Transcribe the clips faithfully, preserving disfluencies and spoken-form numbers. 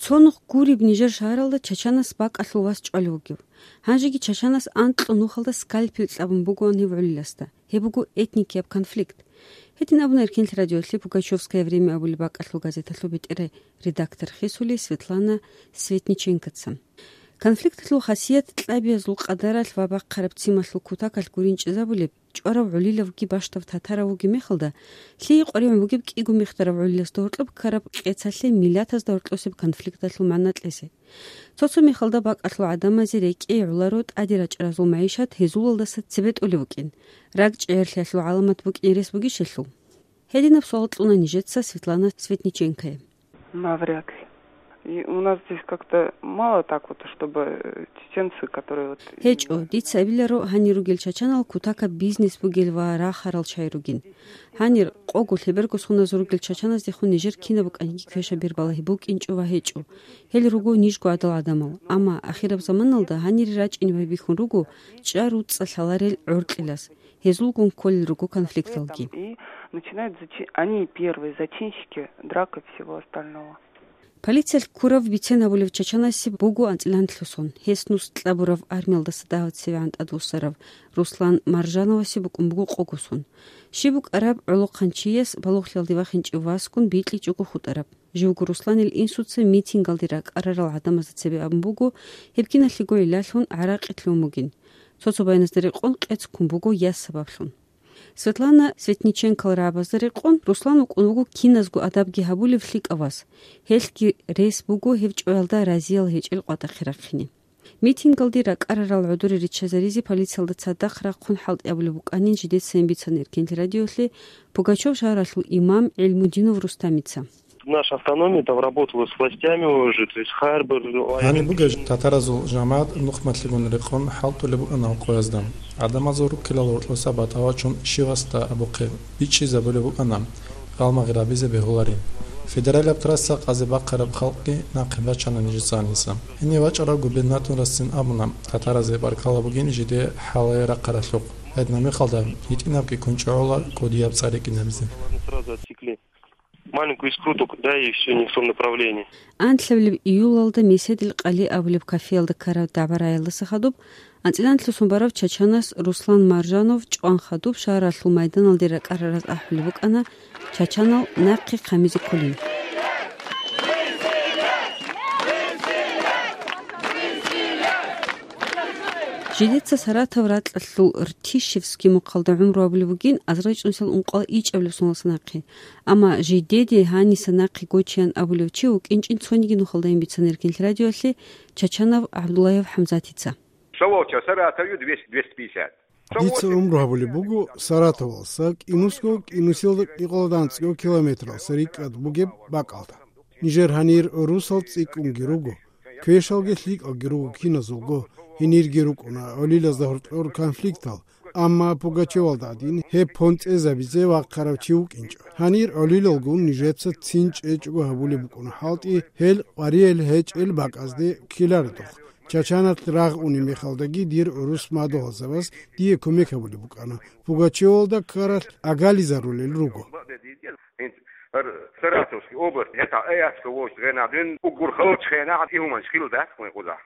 Цо нух гуреб нижер шагьаралда чачанас бакӀалъул вас чӀвалев вугев. Гьанжеги чачанас анкьго нухалда скальпель кьабун бугоан гьев гӀолиласда. Гьеб буго этникияб конфликт. Гьедин абуна Эркенлъи радиолъи «Пугачёвское время» абулеб бакӀалъул газеталъул бетӀер редактор хисули Светлана Светниченкоца. Конфликталъул хасият кьабиязул къадаралъ ва бахъараб цималъул кутакалъ гурин чӀезабулеб, чӀварав гӀолилавги бащдав татарав вугеб мехалда, лъие къваригӀун бугеб кӀиго мехтарав гӀолиласда гьоркьоб ккараб къецалъе миллатазда гьоркьосеб конфликталъул магӀна кьезе. Цо-цо мехалда бакӀалъул гӀадамазе рекӀее гӀоларо тӀаде рачӀаразул магӀишат гьезулалдаса цебетӀолев вукӀин, ракӀчӀегӀерлъиялъул гӀаламат букӀин рес бугищелъул. Гьединаб суал кьуна нижеца Светлана Светниченкое. Навряд ли. И у нас здесь как-то мало так вот, чтобы, э, чеченцы, которые вот ГьечӀо, дица абиларо, гьанир ругел чачанал кутакаб бизнес бугел ва рахарал чагӀи ругин. Гьанир къого лъеберго соназ ругел чачаназдехун нижер кинаб букӀаниги квешаб бер балагьи букӀинчӀо ва гьечӀо. Гьел руго нижго гӀадал гӀадамал. Амма ахираб заманалда гьанире рачӀине байбихьун руго чӀа-руцӀцӀа лъаларел гӀоркьилас. Гьезулгун кколел руго конфликталги. И начинают зачи-, они первые зачинщики драк и всего остального. Полициялъ ккурав бицен абулев чачанасе буго анцӀила анлъго сон. Гьес нус кьабураб армиялдаса дагьаб цевегӀан тӀадвуссарав Руслан Маржановасе букӀун буго къого сон. Щиб букӀараб гӀолохъанчияс балугълъиялде вахинчӀев васгун бикьичӀого хутӀараб. Живго Русланил инсуца митингалде ракӀарарал гӀадамазда цебе абун буго, гьеб киналъего гӀиллалъун гӀаракъи лъун бугин. Цо-цо байназда рекъон къец ккун буго яс сабаблъун. Светлана Светниченкол рагӀабазда рекъон, Руслан вукӀун вуго киназго адабги гьабулев лъикӀав вас. Гьелъги рес буго гьев чӀваялда разиял гьечӀел къватӀахъе рахъине. Митингалде ракӀарарал гӀодоре риччазаризе полициялда цадахъ рахъун хӀалтӀи абулеб букӀанин жидецайин бицана Эркенлъи радиолъи Пугачев шагьаралъул имам ГӀилмудинов Рустамица. Наша автономия там работала с властями уже, то есть Харбор, Гьаниб бугеб татаразул жамагӀат нухмалъигун рекъон хӀалтӀулеб букӀана къоязда. ГӀадамазул руккилал гьоркьоса батӀа вачун щивасда абухъе бичӀчӀизабулеб букӀана, гъалмагъи рабизе бегьуларин. Федералияб трасса къазе бахъараб халкъги нахъе бачана нижеца гьаниса. Гьенив вачӀарав губернаторасцин абуна, татаразе баркала бугин жиде хӀалае рахъаралъухъ. Гьединаб мехалда гьитӀинабги ккун чӀогӀола кӀудияб цӀар рикӀкӀинабизе. Маленькую искру только дай, и всё, не в том направлении. Анлъабилеб июлалда Меседил къали абулеб кафеялда ккараб дагӀба-рагӀиялдаса хадуб, анцӀила анлъго сон барав чачанас Руслан Маржанов чӀван хадуб шагьаралъул майданалде ракӀарараз ахӀулеб букӀана чачанал нахъе хъамизе кколин. Жидеца Саратов ракьалъул Ртищевский мухъалда гӀумру гьабулеб бугин азарилчӀунсил ункъоялда ичӀабилеб соналдаса нахъе. Амма жидеде гьаниса нахъе гочеян абулев чи вукӀинчӀин цониги нухалдайин бицана Эркенлъи радиоялъе Чачанов ГӀабдуллаев ХӀамзатица. Село Саратове двести, двести пятьдесят. Дица гӀумру гьабулеб буго Саратовалса, кӀинусго, кӀинусиялда кӀикъоялда анцӀго километралса рикӀкӀад бугеб бакӀалда. Нижер гьанир русал цӀикӀкӀунги руго, квешалги лъикӀалги руго киназулго, гьенирги рукӀуна гӀолилазда гьоркьор конфликтал, амма Пугачевалда гӀадин гьеб понцӀезабизе вахъарав чи вукӀинчӀо. Гьанир гӀолилалгун нижеца цин чӀечӀого гьабулеб букӀуна хӀалтӀи, гьел къваригӀел гьечӀел бакӀазде ккеларедухъ. Чачаналъ рагъ унеб мехалдаги дир гӀурус мадугьалзабаз дие кумек гьабулеб букӀана. Пугачевалда ккаралъ агализарулел руго. Саратовский область, это Эяска вож гъенадин, угур халчхъена, ихуман шхил дат, мой куда.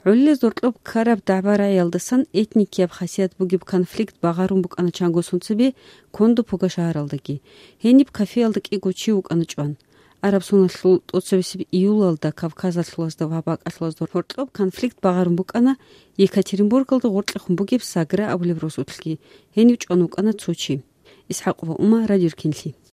ГӀолилаз гьоркьоб ккараб дагӀба-рагӀиялдасан этникияб хасият бугеб конфликт багъарун букӀана чанго сон цебе Кондо-Пуга шагьаралдаги. Гьениб кафеялда кӀиго чи вукӀана чӀван. Араб соналъул тӀоцебесеб июлалда Кавказалъулазда ва бакӀалъулазда гьоркьоб конфликт багъарун букӀана Екатеринбургалда гъоркьехун бугеб Сагра абулеб росулъги. Гьенив чӀван вукӀана цо чи. ИсхӀакъова Ума, Радио Эркенлъи.